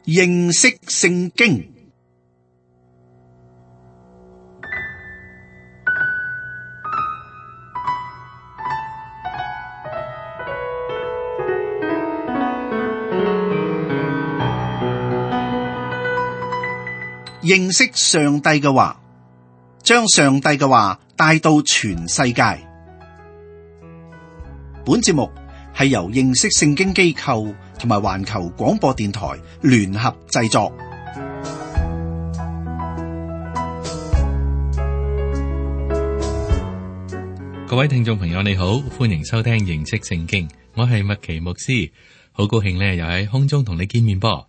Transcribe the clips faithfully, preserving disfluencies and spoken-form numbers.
認識聖經。認識上帝嘅話，將上帝嘅話帶到全世界。本節目係由認識聖經機構同埋環球廣播電台聯合製作。各位聽眾朋友你好，歡迎收聽認識聖經，我係麥奇牧師，好高興咧又喺空中同你見面噃。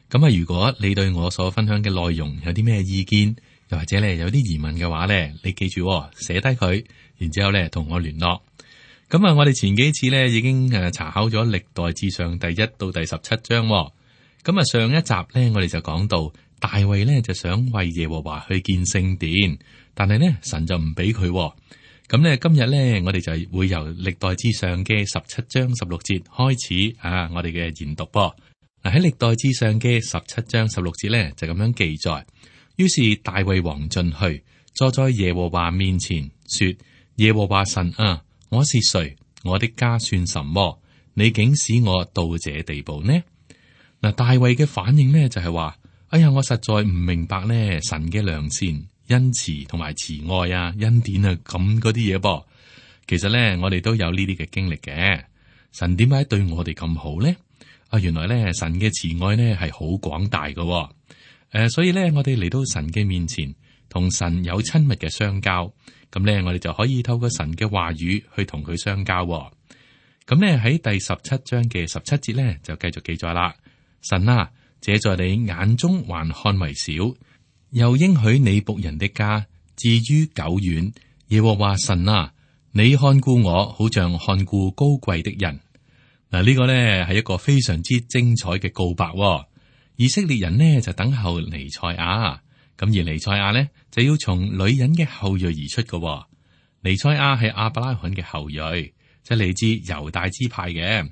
咁啊，如果你對我所分享嘅內容有啲咩意見，又或者咧有啲疑問嘅話咧，你記住寫低佢，然之後咧同我聯絡。咁啊，我哋前幾次咧已經誒查考咗歷代志上第一到第十七章。咁啊，上一集咧我哋就講到大衛咧就想為耶和華去建聖殿，但係咧神就唔俾佢。咁咧今日咧我哋就會由歷代志上嘅十七章十六節開始啊，我哋嘅研讀噃。喺歷代志上嘅十七章十六節咧就咁樣記載，於是大衛王進去，坐在耶和華面前，說：耶和華神啊，我是誰？我的家算什麼？你竟使我到這地步呢？嗱，大衛嘅反應呢就係話：哎呀，我實在唔明白呢神嘅良善、恩慈同埋慈愛啊、恩典啊咁嗰啲嘢噃。其實咧，我哋都有呢啲嘅經歷嘅。神點解對我哋咁好呢？啊，原來咧神嘅慈愛呢係好廣大嘅。誒、呃，所以咧我哋嚟到神嘅面前，同神有親密嘅相交，咁咧我哋就可以透過神嘅話語去同佢相交。咁咧喺第十七章嘅十七節咧就繼續記載啦。神啊，這在你眼中還看為小，又應許你僕人的家至於久遠。耶和華神啊，你看顧我，好像看顧高貴的人。嗱，呢個咧係一個非常之精彩嘅告白。以色列人呢就等候彌賽亞，咁而彌賽亞呢就要從女人嘅後裔而出嘅。彌賽亞係亞伯拉罕嘅後裔，即係嚟自猶大支派嘅。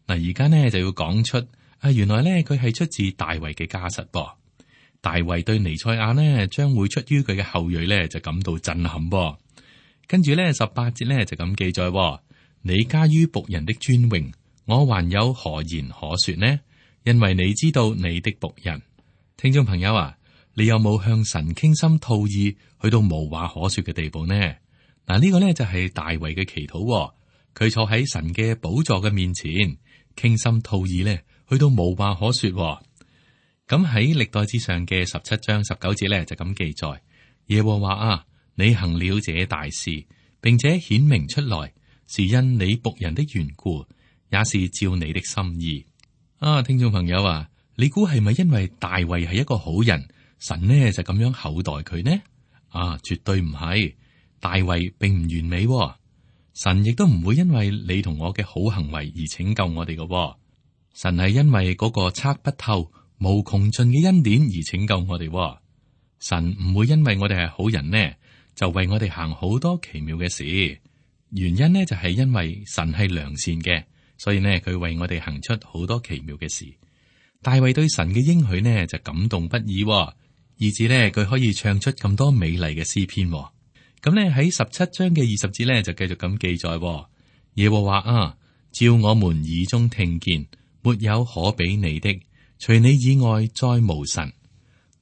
嗱，而家呢就要講出啊，原來呢佢係出自大衛嘅家室噃。大衛對彌賽亞呢將會出於佢嘅後裔呢就感到震撼噃。跟住呢十八節呢就咁記載：你加於僕人的尊榮，我還有何言可說呢？因為你知道你的僕人。聽眾朋友啊，你有冇向神傾心吐意，去到無話可說嘅地步呢？嗱，呢個呢就係大衛嘅祈禱。佢坐喺神嘅寶座嘅面前，傾心吐意呢，去到無話可說。咁喺歷代志上嘅十七章十九節呢，就咁記載：耶和華啊，你行了這大事，並且顯明出來，是因你僕人的緣故，也是照你的心意。啊，聽眾朋友啊，你估係咪因為大衛係一個好人，神呢就咁樣厚待佢呢？啊，絕對唔係。大衛並唔完美，神亦都唔會因為你同我嘅好行為而拯救我哋嘅。神係因為嗰個測不透、無窮盡嘅恩典而拯救我哋。神唔會因為我哋係好人呢，就為我哋行好多奇妙嘅事。原因呢就係因為神係良善嘅。所以呢，佢為我哋行出好多奇妙嘅事。大衛對神嘅應許呢，就感動不已，以至呢，佢可以唱出咁多美麗嘅詩篇。咁呢，喺十七章嘅二十節呢，就繼續咁記載：耶和華啊，照我們耳中聽見，沒有可比你的，除你以外再無神。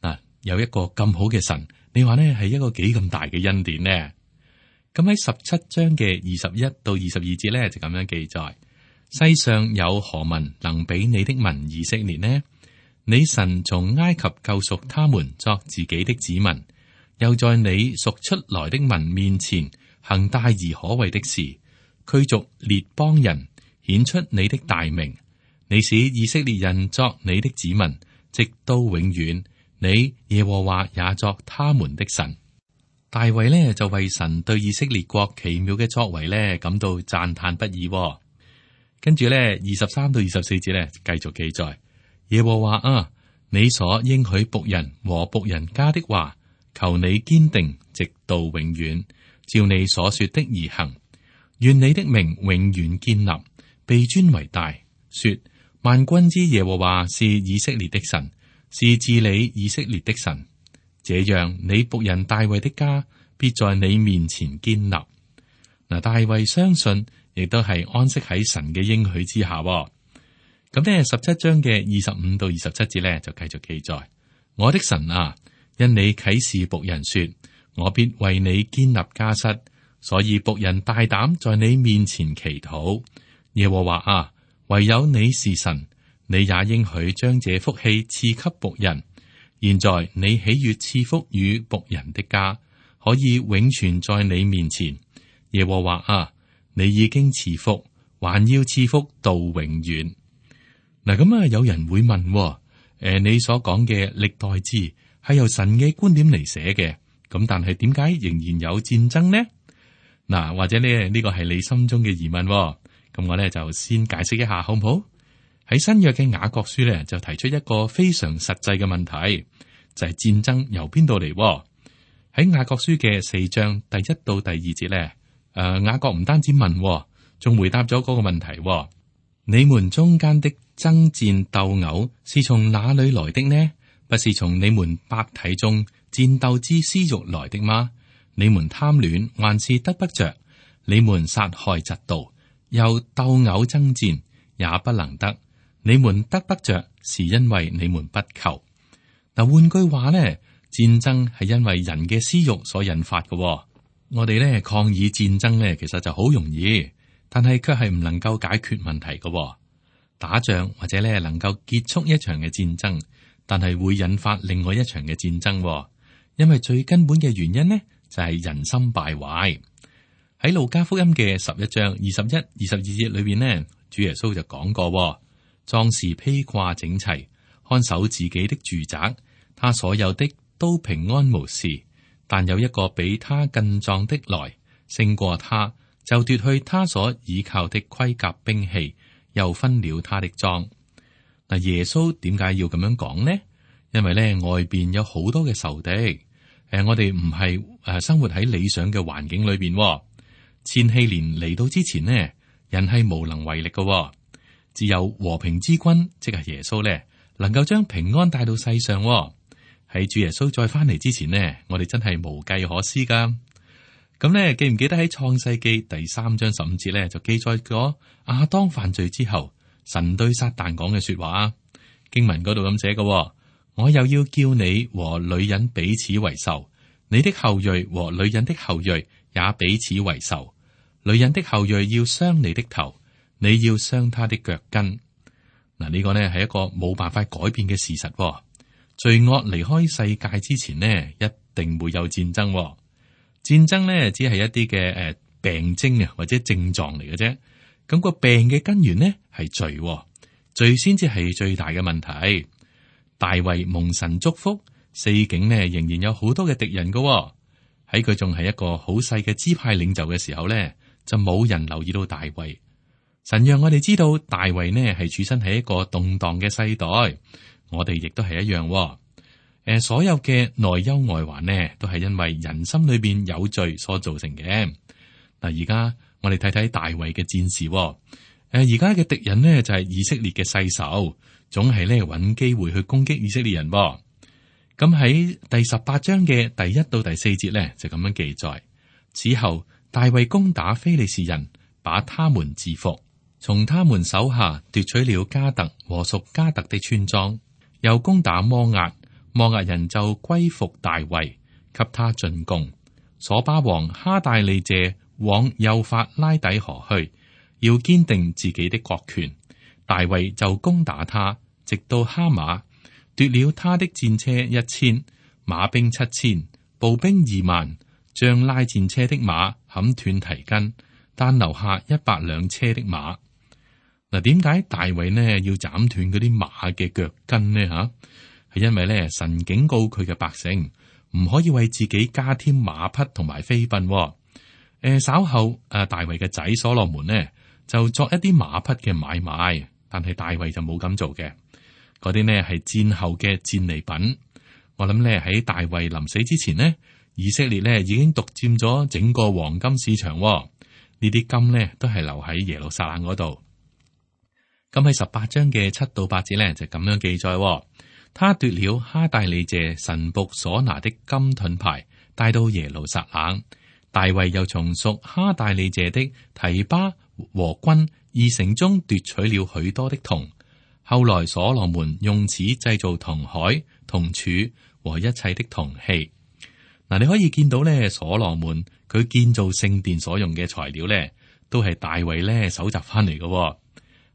嗱，有一個咁好嘅神，你話呢係一個幾咁大嘅恩典呢？咁喺十七章嘅二十一到二十二節呢，就咁樣記載。世上有何民能比你的民以色列呢？你神從埃及救贖他們作自己的子民，又在你贖出來的民面前行大而可畏的事，驅逐列邦人，顯出你的大名。你使以色列人作你的子民，直到永遠。你耶和華也作他們的神。大衛呢就為神對以色列國奇妙嘅作為呢感到讚嘆不已。跟住咧，二十三到二十四節咧，繼續記載：耶和華啊，你所應許僕人和僕人家的話，求你堅定，直到永遠，照你所說的而行。願你的名永遠堅立，被尊為大。說萬軍之耶和華是以色列的神，是治理以色列的神。這樣你僕人大衛的家必在你面前堅立。嗱，大衛相信，亦都係安息喺神嘅應許之下。咁呢，十七章嘅二十五到二十七節呢，就繼續記載：我的神啊，因你啟示僕人說，我必為你堅立家室，所以僕人大膽在你面前祈禱。耶和華啊，唯有你是神，你也應許將這福氣賜給僕人。現在你喜悅賜福與僕人的家，可以永存在你面前。耶和華啊，你已經賜福，還要賜福到永遠。嗱，咁啊，有人會問，誒、呃，你所講嘅歷代志係由神嘅觀點嚟寫嘅，咁但係點解仍然有戰爭呢？嗱，或者呢呢個係你心中嘅疑問，咁我咧就先解釋一下，好唔好？喺新約嘅雅各書咧，就提出一個非常實際嘅問題，就係、是、戰爭由邊度嚟？喺雅各書嘅四章第一到第二節咧，誒、呃，雅各唔單止問，仲回答咗嗰個問題：你們中間的爭戰鬥毆是從哪裏來的呢？不是從你們百體中戰鬥之私欲來的嗎？你們貪戀還是得不着？你們殺害嫉妒，又鬥毆爭戰，也不能得。你們得不着，是因為你們不求。嗱，換句話咧，戰爭係因為人嘅私欲所引發嘅。我哋咧抗議戰爭咧，其實就好容易，但係卻係唔能夠解決問題嘅。打仗或者咧能夠結束一場嘅戰爭，但係會引發另外一場嘅戰爭。因為最根本嘅原因呢，就係人心敗壞。喺路加福音嘅十一章二十一、二十二節裏邊呢，主耶穌就講過。壯士披掛整齊，看守自己的住宅，他所有的都平安無事。但有一個比他更壯的來，勝過他，就奪去他所倚靠的盔甲兵器，又分了他的贓。嗱，耶穌點解要咁樣講呢？因為咧外邊有好多嘅仇敵，誒，我哋唔係誒生活喺理想嘅環境裏邊。千禧年嚟到之前呢，人係無能為力嘅。只有和平之君，即係耶穌咧，能夠將平安帶到世上。喺主耶穌再翻嚟之前呢，我哋真係無計可施噶。咁咧，記唔記得喺創世記第三章十五節咧，就記載咗亞當犯罪之後，神對撒旦講嘅說話。經文嗰度咁寫嘅：我又要叫你和女人彼此為仇，你的後裔和女人的後裔也彼此為仇。女人的後裔要傷你的頭，你要傷他的腳跟。嗱，呢個呢係一個冇辦法改變嘅事實。罪惡離開世界之前呢，一定會有戰爭。戰爭呢，只係一啲嘅誒病徵啊，或者症狀嚟嘅啫。咁個病嘅根源呢係罪，罪先至係最大嘅問題。大衛蒙神祝福，四境呢仍然有好多嘅敵人噶。喺佢仲係一個好細嘅支派領袖嘅時候呢，就冇人留意到大衛。神讓我哋知道大衛呢係處身喺一個動盪嘅世代，我哋亦都係一樣。誒、呃，所有嘅內憂外患呢，都係因為人心裏邊有罪所造成嘅。嗱，而家我哋睇睇大衛嘅戰士。誒，而家嘅敵人呢就係以色列嘅世仇，總係咧揾機會去攻擊以色列人。咁喺第十八章嘅第一到第四節呢，就咁樣記載：此後大衛攻打非利士人，把他們制服。從他們手下奪取了迦特和屬迦特的村莊，又攻打摩押，摩押人就歸服大衛，給他進貢。瑣巴王哈大利謝往幼發拉底河去，要堅定自己的國權。大衛就攻打他，直到哈馬，奪了他的戰車一千，馬兵七千，步兵二萬，將拉戰車的馬砍斷蹄筋，但留下一百輛車的馬。嗱，點解大衛呢要斬斷嗰啲馬嘅腳筋呢？吓，係因為咧神警告佢嘅百姓唔可以為自己加添馬匹同埋飛奔。誒、呃，稍後誒，大衛嘅仔所羅門呢就作一啲馬匹嘅買賣，但係大衛就冇咁做嘅。嗰啲呢係戰後嘅戰利品。我諗咧喺大衛臨死之前呢，以色列呢已經獨佔咗整個黃金市場。呢啲金呢都係留喺耶路撒冷嗰度。咁喺十八章嘅七到八節咧就咁樣記載，他奪了哈大利謝神僕所拿的金盾牌，帶到耶路撒冷。大衛又從屬哈大利謝的提巴和軍二城中奪取了許多的銅。後來所羅門用此製造銅海、銅柱和一切的銅器。嗱，你可以見到咧，所羅門佢建造聖殿所用嘅材料咧，都係大衛咧搜集翻嚟嘅。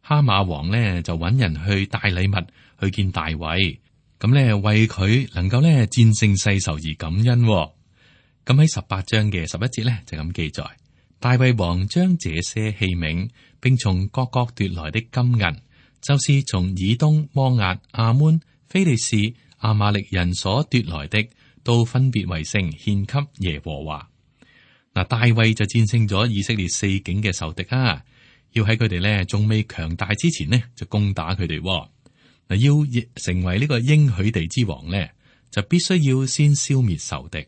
哈馬王咧就揾人去帶禮物去見大衛，咁咧為佢能夠咧戰勝世仇而感恩。咁喺十八章嘅十一節咧就咁記載，大衛王將這些器皿，並從各國奪來的金銀，就是從以東、摩押、亞捫、非利士、亞瑪力人所奪來的，都分別為聖獻給耶和華。嗱，大衛就戰勝咗以色列四境嘅仇敵啊！要喺佢哋咧仲未強大之前呢，就攻打佢哋。嗱，要成為呢個應許地之王咧，就必須要先消滅仇敵。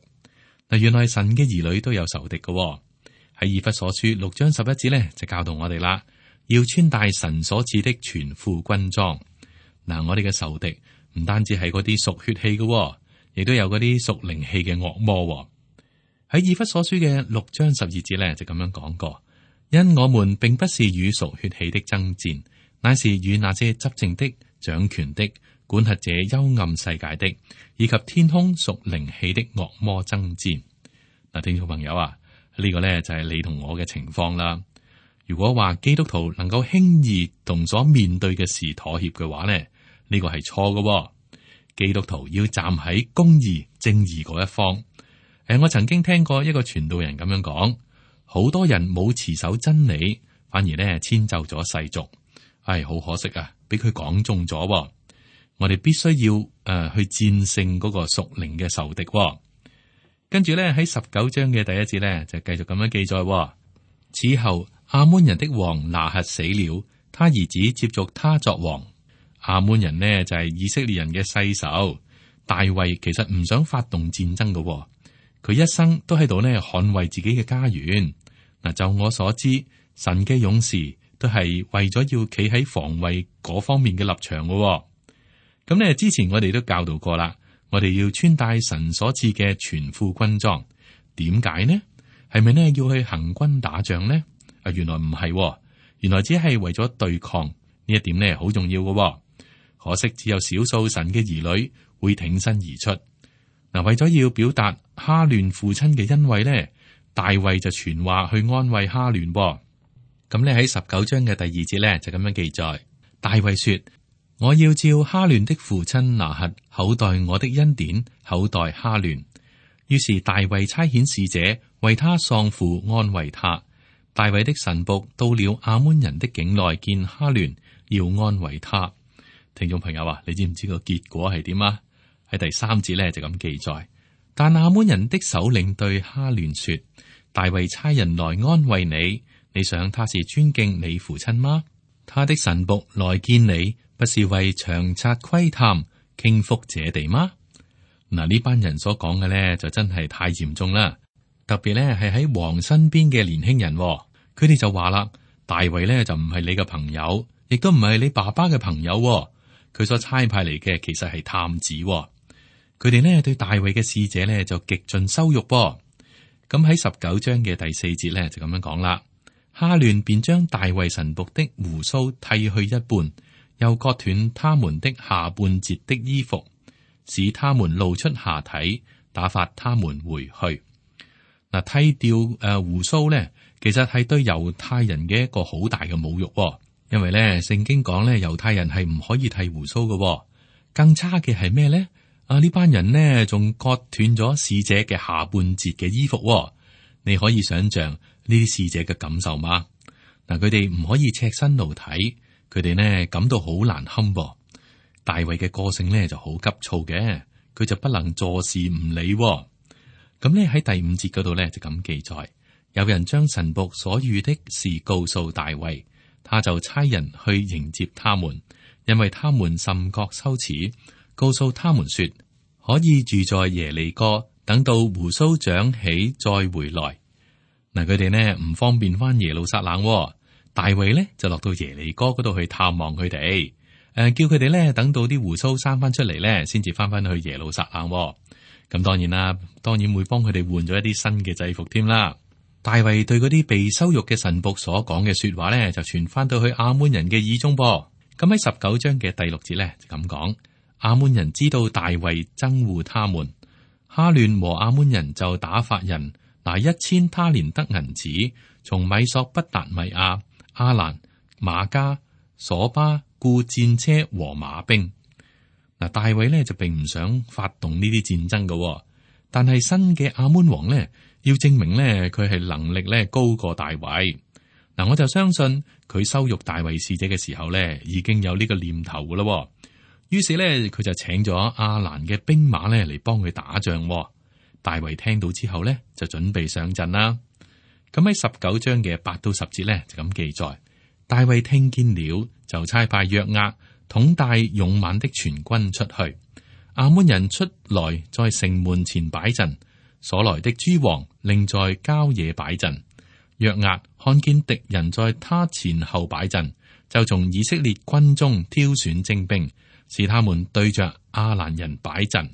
嗱，原來神嘅兒女都有仇敵嘅。喺以弗所書六章十一節咧，就教導我哋啦，要穿戴神所賜的全副軍裝。嗱，我哋嘅仇敵唔單止係嗰啲屬血氣嘅，亦都有嗰啲屬靈氣嘅惡魔。喺以弗所書嘅六章十二節咧，就咁樣講過：因我們並不是與屬血氣的爭戰，乃是與那些執政的、掌權的、管轄這幽暗世界的，以及天空屬靈氣的惡魔爭戰。嗱，聽眾朋友啊，呢、這個呢就係你同我嘅情況啦。如果話基督徒能夠輕易同所面對嘅事妥協嘅話呢，呢、這個係錯嘅。基督徒要站喺公義、正義嗰一方。誒，我曾經聽過一個傳道人咁樣講，好多人冇持守真理，反而呢遷就咗世俗。唉，好可惜啊，俾佢講中咗。我哋必須要誒、呃、去戰勝嗰個屬靈嘅仇敵。跟住咧喺十九章嘅第一節咧就繼續咁樣記載。此後亞捫人的王拿轄死了，他兒子接續他作王。亞捫人呢就係、是、以色列人嘅世仇。大衛其實唔想發動戰爭嘅，佢一生都喺度呢捍衛自己嘅家園。嗱，就我所知，神嘅勇士都係為咗要企喺防衛嗰方面嘅立場嘅。咁咧，之前我哋都教導過啦，我哋要穿戴神所賜嘅全副軍裝。點解呢？係咪呢要去行軍打仗呢？啊，原來唔係，原來只係為咗對抗。呢一點呢好重要嘅。可惜只有少數神嘅兒女會挺身而出。嗱，為咗要表達哈亂父親嘅恩惠呢，大衛就傳話去安慰哈亂。咁咧喺十九章嘅第二節咧就咁樣記載，大衛說：我要照哈亂的父親拿轄厚待我的恩典，厚待哈亂。於是大衛差遣使者為他喪父安慰他。大衛的臣僕到了亞捫人的境內見哈亂，要安慰他。聽眾朋友啊，你知唔知個結果係點啊？喺第三節咧就咁記載，但亞捫人的首領對哈亂說：大衛差人來安慰你，你想他是尊敬你父親嗎？他的臣僕來見你，不是為詳察窺探、傾覆這地嗎？嗱，呢班人所講嘅咧就真係太嚴重啦，特別咧係喺王身邊嘅年輕人，佢哋就話啦：大衛咧就唔係你嘅朋友，亦都唔係你爸爸嘅朋友，佢所差派嚟嘅其實係探子。佢哋呢對大衛嘅使者呢就極盡羞辱噃。咁喺十九章嘅第四節呢就咁樣講啦，哈亂便將大衛臣僕的鬍鬚剃去一半，又割斷他們的下半截的衣服，使他們露出下體，打發他們回去。嗱，剃掉誒鬍鬚呢，其實係對猶太人嘅一個好大嘅侮辱，因為咧聖經講咧猶太人係唔可以剃鬍鬚嘅。更差嘅係咩咧？啊！呢班人呢，仲割斷咗使者嘅下半截嘅衣服，哦，你可以想象呢啲使者嘅感受嗎？嗱，佢哋唔可以赤身露體，佢哋呢感到好難堪噃。大衛嘅個性呢就好急躁嘅，佢就不能坐視唔理，哦。咁呢喺第五節嗰度呢，就咁記載，有人將臣僕所遇的事告訴大衛，他就差人去迎接他們，因為他們甚覺羞恥。告訴他們說，可以住在耶利哥，等到鬍鬚長起再回來。嗱，佢哋呢唔方便翻耶路撒冷，大衛呢就落到耶利哥嗰度去探望佢哋。誒，叫佢哋咧等到啲鬍鬚生翻出嚟咧，先至翻翻去耶路撒冷。咁當然啦，當然會幫佢哋換咗一啲新嘅制服添啦。大衛對嗰啲被羞辱嘅臣僕所講嘅說話咧，就傳翻到去亞捫人嘅耳中噃。咁喺十九章嘅第六節咧就咁講，亞捫人知道大衛憎惡他們，哈亂和亞捫人就打發人拿一千他連得銀子，從米索不達米亞、阿蘭、馬加、索巴雇戰車和馬兵。嗱，大衛呢就並唔想發動呢啲戰爭嘅，但係新嘅亞捫王呢要證明呢佢係能力呢高過大衛。嗱，我就相信佢羞辱大衛使者嘅時候呢已經有呢個念頭噶啦。於是呢佢就請咗阿蘭嘅兵馬呢嚟幫佢打仗。大衛聽到之後呢就準備上陣啦。咁喺十九章嘅八到十節呢就咁記載，大衛聽見了就差派約押統帶勇猛的全軍出去，亞捫人出來在城門前擺陣，所來的諸王另在郊野擺陣。約押看見敵人在他前後擺陣，就從以色列軍中挑選精兵，使他們對着亞蘭人擺陣。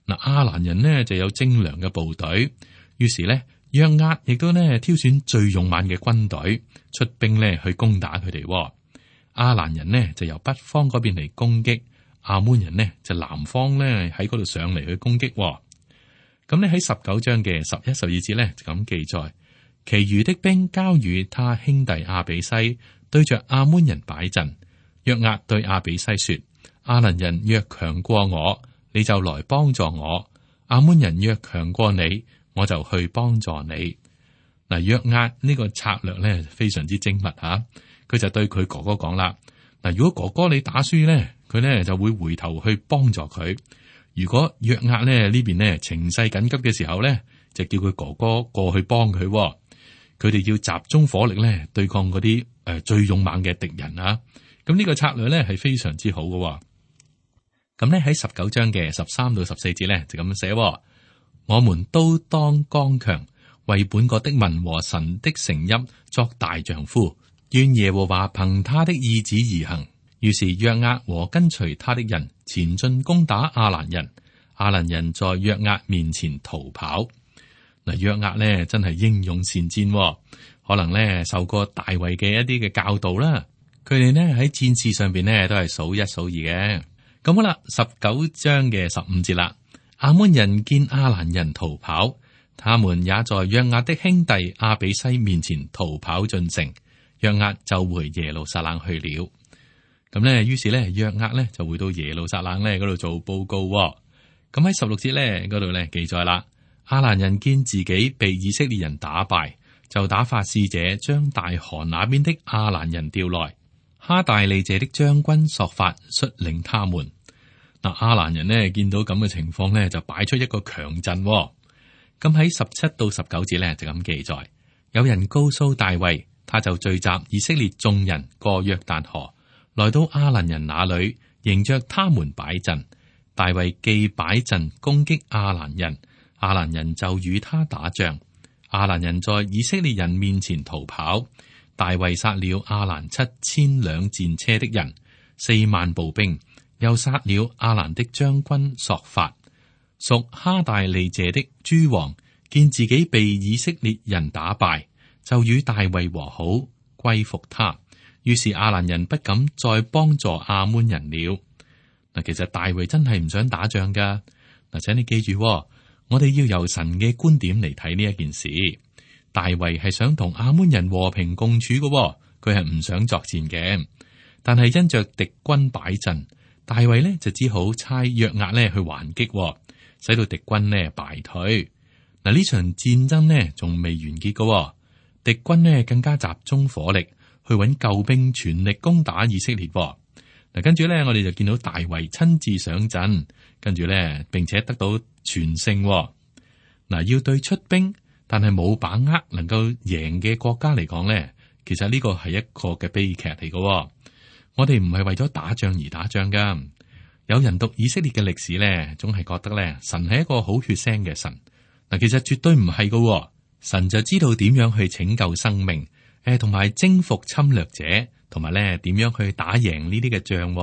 嗱，亞蘭人呢就有精良嘅部隊，於是呢約押亦都呢挑選最勇猛嘅軍隊出兵呢去攻打佢哋。亞蘭人呢就由北方嗰邊嚟攻擊，亞捫人呢就南方呢喺嗰度上嚟去攻擊。咁呢喺十九章嘅十一、十二節呢就咁記載，其餘的兵交與他兄弟亞比篩，對着亞捫人擺陣。約押對亞比篩說：亞蘭人若強過我，你就來幫助我；亞捫人若強過你，我就去幫助你。嗱，約押呢個策略呢非常之精密吓。佢就對佢哥哥講啦，嗱，如果哥哥你打輸咧，佢咧就會回頭去幫助佢；如果約押咧呢邊咧情勢緊急嘅時候咧，就叫佢哥哥過去幫佢。佢哋要集中火力咧對抗嗰啲誒最勇猛嘅敵人啊！咁呢個策略咧係非常之好嘅。咁咧喺十九章嘅十三到十四節咧就咁寫：我們都當剛強，為本國的民和神的城邑作大丈夫。願耶和華憑他的意旨而行。於是約押和跟隨他的人前進攻打亞蘭人，亞蘭人在約押面前逃跑。嗱，約押呢真係英勇善戰，可能呢受過大衛嘅一啲嘅教導啦。佢哋呢喺戰事上邊呢都係數一數二嘅。咁好啦，十九章嘅十五節啦，亞捫人見亞蘭人逃跑，他們也在約押的兄弟亞比篩面前逃跑進城。約押就回耶路撒冷去了。咁呢，於是呢，約押呢就回到耶路撒冷呢嗰度做報告。咁喺十六節呢嗰度呢記載啦，亞蘭人見自己被以色列人打敗，就打發使者將大河那邊的亞蘭人調來，哈大利謝的將軍朔法率領他們。嗱，亞蘭人呢見到咁嘅情況呢，就擺出一個強陣。咁喺十七到十九節呢就咁記載，有人告訴大衛。他就聚集以色列眾人過約旦河，來到亞蘭人那裏，迎着他們擺陣。大衛既擺陣攻擊亞蘭人，亞蘭人就與他打仗。亞蘭人在以色列人面前逃跑。大衛殺了亞蘭七千輛戰車的人，四萬步兵，又殺了亞蘭的將軍朔法。屬哈大利謝的諸王見自己被以色列人打敗，就與大衛和好，歸服他。於是亞蘭人不敢再幫助亞捫人了。嗱，其實大衛真係唔想打仗噶。嗱，請你記住，我哋要由神嘅觀點嚟睇呢一件事。大衛係想同亞捫人和平共處嘅，佢係唔想作戰嘅。但係因着敵軍擺陣，大衛呢就只好差約押呢去還擊，使到敵軍呢敗退。嗱，呢場戰爭呢仲未完結嘅。敵軍呢更加集中火力去揾救兵，全力攻打以色列。嗱，跟住呢，我哋就見到大衛親自上陣，跟住呢，並且得到全勝。嗱，要對出兵但係冇把握能夠贏嘅國家嚟講呢，其實呢個係一個嘅悲劇嚟嘅。我哋唔係為咗打仗而打仗噶。有人讀以色列嘅歷史呢，總係覺得呢，神係一個好血腥嘅神。嗱，其實絕對唔係噶。神就知道點樣去拯救生命，誒，同埋征服侵略者，同埋咧點樣去打贏呢啲嘅仗。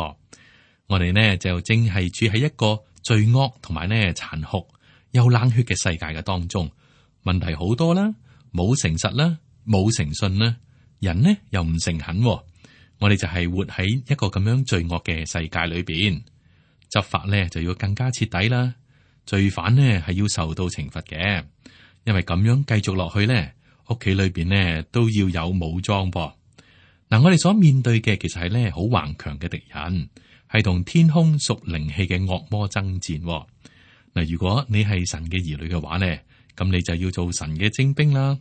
我哋呢就正係處喺一個罪惡同埋呢殘酷又冷血嘅世界嘅當中，問題好多啦，冇誠實啦，冇誠信啦，人呢又唔誠懇。我哋就係活喺一個咁樣罪惡嘅世界裏邊，執法呢就要更加徹底啦。罪犯呢係要受到懲罰嘅，因為咁樣繼續落去呢，屋企裏邊呢都要有武裝噃。嗱，我哋所面對嘅其實係呢好頑強嘅敵人，係同天空屬靈氣嘅惡魔爭戰。嗱，如果你係神嘅兒女嘅話呢，咁你就要做神嘅精兵啦。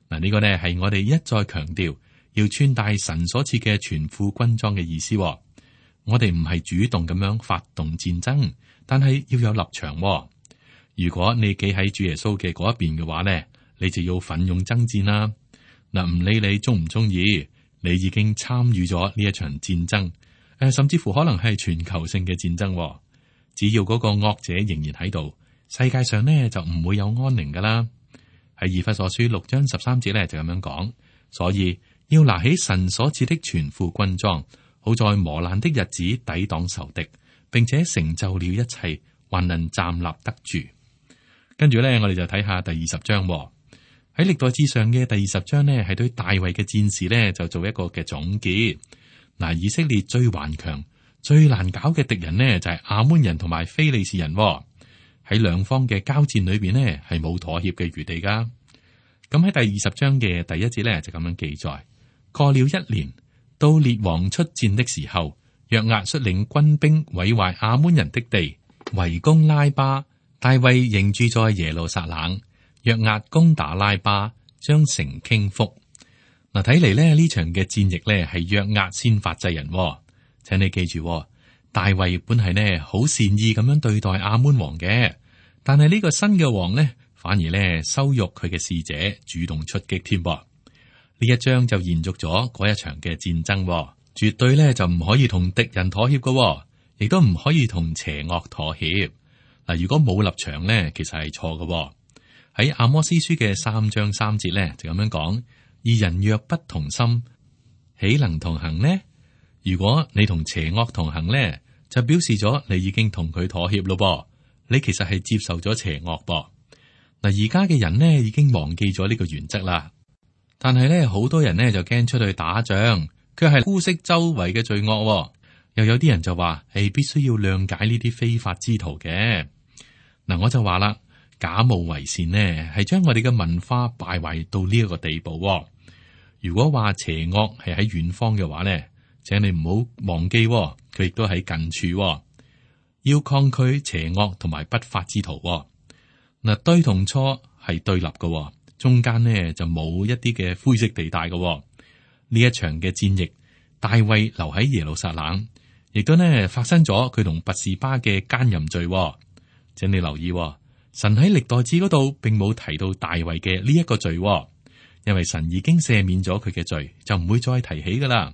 嗱，呢個呢係我哋一再強調。要穿戴神所賜嘅全副軍裝嘅意思。我哋唔係主動咁樣發動戰爭，但係要有立場。如果你企喺主耶穌嘅嗰一邊嘅話呢，你就要奮勇爭戰啦。嗱，唔理你中唔中意，你已經參與咗呢一場戰爭，誒，甚至乎可能係全球性嘅戰爭。只要嗰個惡者仍然喺度，世界上呢就唔會有安寧噶啦。喺以弗所書六章十三節呢就咁樣講，所以。要拿起神所賜的全副軍裝，好在磨難的日子抵擋仇敵，並且成就了一切，還能站立得住。跟住咧，我哋就睇下第二十章喎。喺歷代志上嘅第二十章呢，係對大衛嘅戰士呢就做一個嘅總結。嗱，以色列最頑強、最難搞嘅敵人呢，就係亞捫人同埋非利士人喎。喺兩方嘅交戰裏邊呢，係冇妥協嘅餘地噶。咁喺第二十章嘅第一節呢，就咁樣記載。過了一年，到列王出戰的時候，約押率領軍兵毀壞亞捫人的地，圍攻拉巴。大衛仍住在耶路撒冷。約押攻打拉巴，將城傾覆。嗱，睇嚟咧呢場嘅戰役咧係約押先發制人。請你記住，大衛本係呢好善意咁樣對待亞捫王嘅，但係呢個新嘅王呢，反而咧羞辱佢嘅使者，主動出擊添噃。呢一章就延續咗嗰一場嘅戰爭，絕對咧就唔可以同敵人妥協嘅，亦都唔可以同邪惡妥協。嗱，如果冇立場咧，其實係錯嘅。喺阿摩司書嘅三章三節咧就咁樣講：二人若不同心，豈能同行呢？如果你同邪惡同行咧，就表示咗你已經同佢妥協咯噃。你其實係接受咗邪惡噃。嗱，而家嘅人呢已經忘記咗呢個原則啦。但係咧，好多人咧就驚出去打仗，佢係姑息周圍嘅罪惡。又有啲人就話，係必須要諒解呢啲非法之徒嘅。嗱，我就話啦，假冒為善呢，係將我哋嘅文化敗壞到呢一個地步。如果話邪惡係喺遠方嘅話呢，請你唔好忘記，佢亦都喺近處。要抗拒邪惡同埋不法之徒。嗱，對同錯係對立嘅。中間呢就冇一啲嘅灰色地帶嘅。呢一場嘅戰役，大衛留喺耶路撒冷，亦都呢發生咗佢同拔士巴嘅奸淫罪。請你留意，神喺歷代志嗰度並冇提到大衛嘅呢一個罪，因為神已經赦免咗佢嘅罪，就唔會再提起噶啦。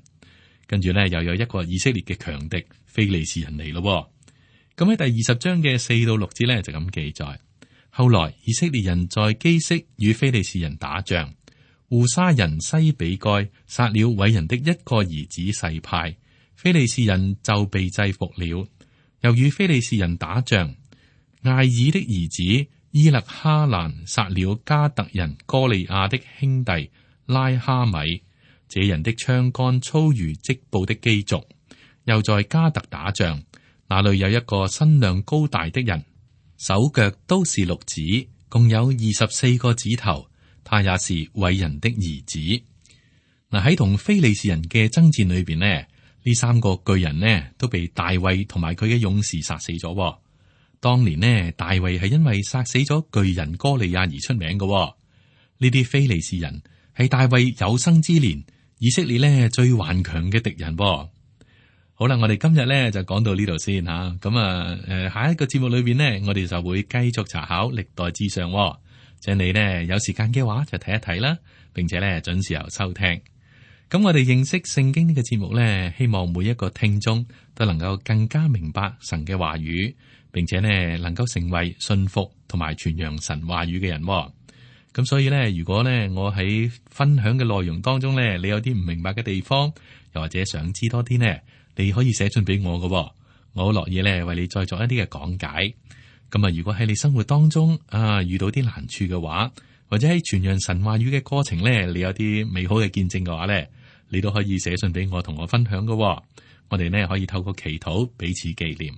跟住呢，又有一個以色列嘅強敵非利士人嚟咯。咁喺第二十章嘅四到六節呢，就咁記載。後來以色列人在基色與非利士人打仗，戶沙人西比該殺了偉人的一個兒子細派，非利士人就被制服了。又與非利士人打仗，艾爾的兒子伊勒哈蘭殺了加特人哥利亞的兄弟拉哈米，這人的槍桿粗如織布的機軸。又在加特打仗，那裏有一個身量高大的人，手腳都是六指，共有二十四個指頭。他也是偉人的兒子。嗱，喺同非利士人嘅爭戰裏邊呢，呢三個巨人呢都被大衛同埋佢嘅勇士殺死咗。當年呢，大衛係因為殺死咗巨人哥利亞而出名嘅。呢啲非利士人係大衛有生之年以色列呢最頑強嘅敵人。好啦，我哋今日咧就講到呢度先吓，咁啊，誒，下一個節目裏邊呢，我哋就會繼續查考歷代志上，請你呢有時間嘅話就睇一睇啦，並且咧準時候收聽。咁我哋認識聖經呢個節目呢，希望每一個聽眾都能夠更加明白神嘅話語，並且呢能夠成為信服同埋傳揚神話語嘅人。咁所以咧，如果咧我喺分享嘅內容當中咧，你有啲唔明白嘅地方，又或者想知多啲呢，你可以寫信俾我㗎，我好樂意咧為你再作一啲嘅講解。咁啊，如果喺你生活當中啊遇到啲難處嘅話，或者喺傳揚神話語嘅過程咧，你有啲美好嘅見證嘅話咧，你都可以寫信俾我，同我分享㗎。我哋呢可以透過祈禱彼此紀念。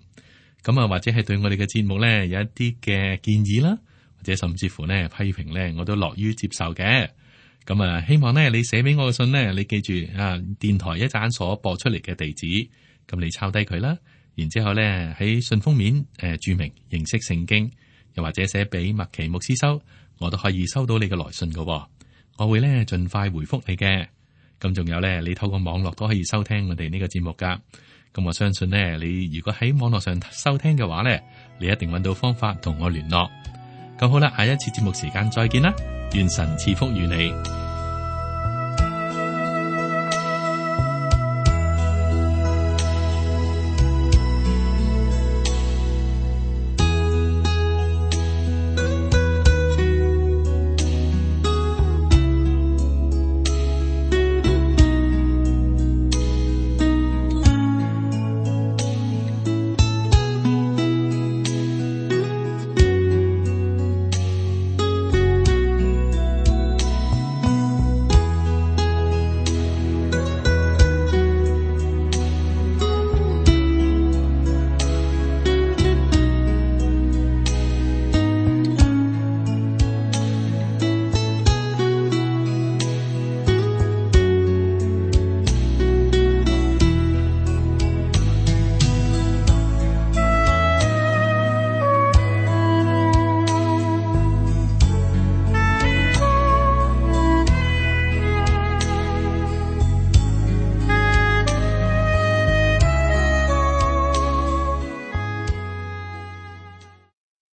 咁啊，或者係對我哋嘅節目咧有一啲嘅建議啦，或者甚至乎呢批評咧，我都樂於接受嘅。咁啊，希望呢你寫俾我嘅信呢，你記住啊，電台一陣所播出嚟嘅地址，咁你抄低佢啦。然之後咧喺信封面誒、呃、注明認識聖經，又或者寫俾麥奇牧師收，我都可以收到你嘅來信噶、哦。我會咧盡快回覆你嘅。咁仲有咧，你透過網絡都可以收聽我哋呢個節目噶。咁我相信呢，你如果喺網絡上收聽嘅話咧，你一定揾到方法同我聯絡。咁好啦，下一次節目時間再見啦，願神賜福於你。